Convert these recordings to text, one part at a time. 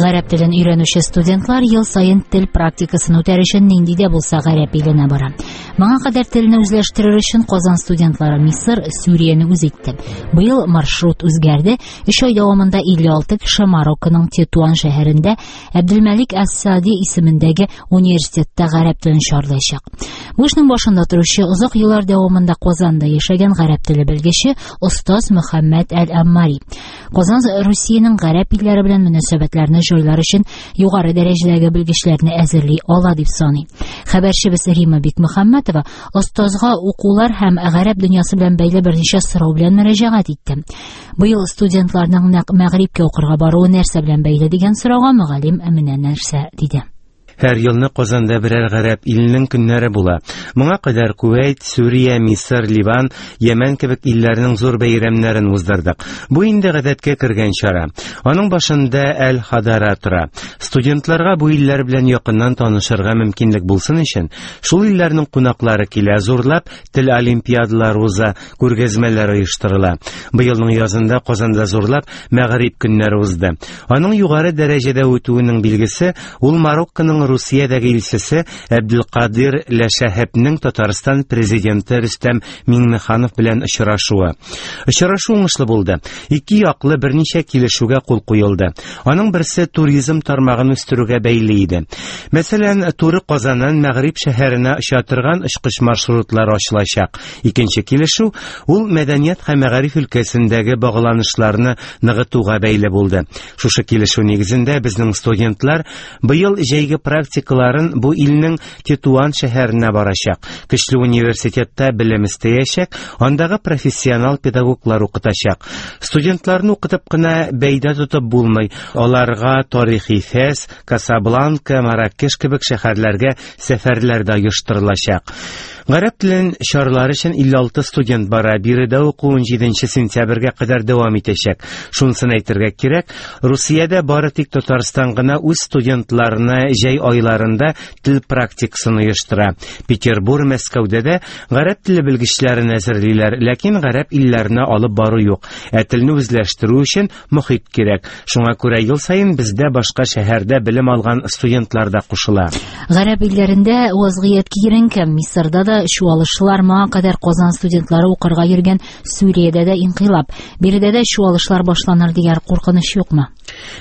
Гарәп телен өйрәнүче студентлар ел саен тел практикасын үтәр өчен нинди дә булса гарәп иленә бара. Моңа кадәр телне үзләштерер өчен Казан студентлары Мисыр, Сүрияне үз итте. Быел маршрут үзгәрде. 3 ай дәвамында 56 кеше Марокконың Тетуан шәһәрендә Әбделмәлик Әс-Сади исемендәге университетта гарәп телен чарлаячак. Бу эшнең башында торучы озак еллар дәвамында Казанда яшәгән гарәп теле белгече остаз Мөхәммәд Әл-Аммари. Казан Русиянең гарәп илләре белән мөнәсәбәтләрне җайлар өчен югары дәрәҗәдәге белгечләрне әзерли ала дип саный. Хәбәрчебез Рима Бикмөхәммәтова остазга укулар һәм гарәп дөньясы белән бәйле берничә сорау белән мөрәҗәгать итте. Быел студентларның нәкъ Мәгърибкә укырга баруы нәрсә белән бәйле дигән сорауга мөгаллим менә нәрсә диде. Һәр елны Казанда берәр гарәп иленең көннәре була. Моңа кадәр Кувәйт, Сүрия, Мисыр, Ливан, Йәмән кебек илләрнең зур бәйрәмнәрен уздырдык. Бу инде гадәткә кергән чара. Аның башында Әл-Хадара тора. Студентларга бу илләр белән якыннан танышырга мөмкинлек булсын өчен, шул илләрнең кунаклары килә, зурлап тел олимпиадалары уза, күргәзмәләр оештырыла. Быелның язында Казанда зурлап Мәгариф көннәре узды. Аның югары дәрәҗәдә үтүенең билгесе ул Марокконың Русиядәге илчесе Әбделкадир Ләшәһепнең Татарстан президенты Рөстәм Миңнеханов белән очрашуы. Очрашу уңышлы булды. Ике яклы берничә килешүгә кул куелды. Аның берсе туризм тармагын үстерүгә бәйле иде. Мәсәлән, туры Казаннан Мәгъриб шәһәренә оча торган очкыч маршрутлары ачылачак. Икенче килешү ул мәдәният һәм мәгариф өлкәсендәге багланышларны ныгытуга бәйле булды. Шушы килешү нигезендә безнең студентлар быел җәйге практикаларын бу илнең Тетуан шәһәренә барачак. Көчле университетта белем эстәячәк, андагы профессионал педагоглар укытачак. Студентларны укытып кына бәйдә тотып булмый. Аларга тарихи Фәс, Касабланка, Маракеш кебек шәһәрләргә сәфәрләр дә оештырылачак. Гарәп телен чарлар өчен 56 студент бара. Биредә уку 17 сентябрьгә кадәр дәвам итәчәк. Шунысын әйтергә кирәк, Русиядә бары тик Татарстан гына үз студентларына җәй айларында тел практикасын оештыра. Петербур, Мәскәүдә дә гарәп теле белгечләрен әзерлиләр, ләкин гарәп илләренә алып бару юк. Ә телне үзләштерү өчен мохит кирәк. Шуңа күрә ел саен бездә башка шәһәрдә белем алган студентлар да кушыла. Гарәп илләрендә вазгыять киеренке. Мисырда да чуалышлар, моңа кадәр Казан студентлары укырга йөргән Сүриядә дә инкыйлаб. Биредә дә чуалышлар башланыр дигән куркыныч юкмы?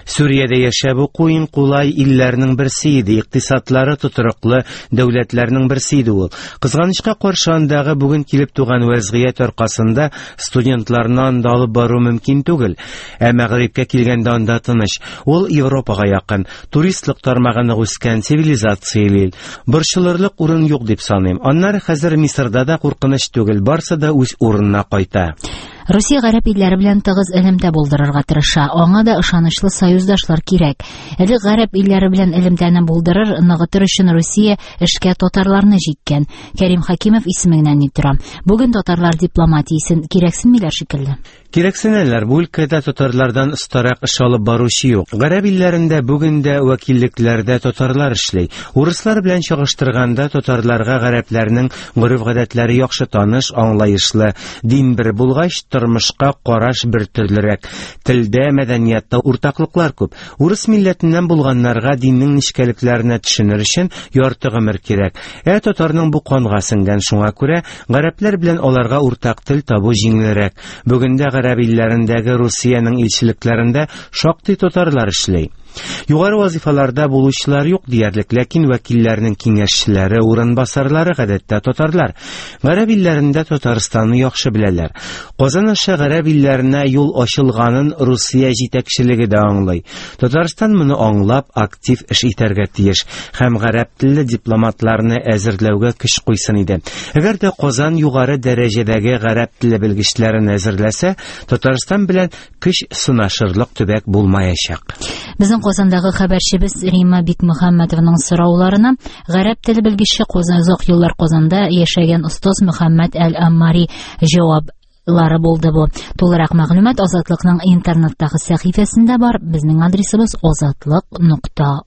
Сүриядә яшәп уку иң кулай илләрнең берсе иде, икътисадлары тотрыклы дәүләтләрнең берсе иде ул. Кызганычка каршы, андагы бүген килеп туган вәзгыять аркасында студентларны анда алып бару мөмкин түгел. Ә Мәгърибкә килгәндә анда тыныч. Ул Европага якын, туристлык тармагы нык үскән, цивилизацияле ил. Борчылырлык урын юк дип саныйм. Аннары хәзер Мисырда да куркыныч түгел, барсы да үз урынына кайта. Русия гарәп илләре белән тыгыз элемтә булдырырга тырыша. Аңа да ышанычлы союздашлар кирәк. Элек гарәп илләре белән элемтәне булдырыр, ныгытыр өчен Русия эшкә татарларны җиккән. Кәрим Хакимов исеме генә ни тора. Бүген татарлар дипломатиясен кирәксенмиләр шикелле. Кирәксенәләр, бу өлкәдә татарлардан остарак эш алып баручы юк. Гарәп илләрендә бүген дә вәкиллекләрдә татарлар эшли. Урыслар белән чагыштырганда татарларга гарәпләрнең гореф-гадәтләре яхшы таныш, аңлаешлы. Дин бер булгач, тормышка караш бер төрлерәк. Телдә, мәдәниятта уртаклыклар күп. Урыс милләтеннән булганнарга диннең нечкәлекләренә төшенер өчен ярты гомер кирәк. Ә татарның бу канга сеңгән, шуңа күрә гарәпләр белән аларга уртак тел табу җиңелрәк. Бүген дә гарәп илләрендәге Русиянең илчелекләрендә шактый татарлар эшли. Югары вазифаларда булучылар юк диярлек, ләкин вәкилләрнең киңәшчеләре, урынбасарлары гадәттә татарлар. Гарәп илләрендә Татарстанны яхшы беләләр. Казан аша гарәп илләренә юл ачылганын Русия җитәкчелеге дә аңлый. Татарстан моны аңлап, актив эш итәргә тиеш һәм гарәп телле дипломатларны әзерләүгә көч куйсын иде. Әгәр дә Казан югары дәрәҗәдәге гарәп теле белгечләрен әзерләсә, Татарстан белән көч сынашырлык төбәк булмаячак. Безнең Казандагы хәбәрчебез Римма Бикмөхәммәтованың сорауларына гарәп теле белгече Казан озак еллар Казанда яшәгән остаз Мөхәммәд Әл-Аммари җавап лары булды бу. Тулырак мәгълүмат Азатлыкның интернеттагы сәхифәсендә бар. Безнең адресыбыз азатлык.орг.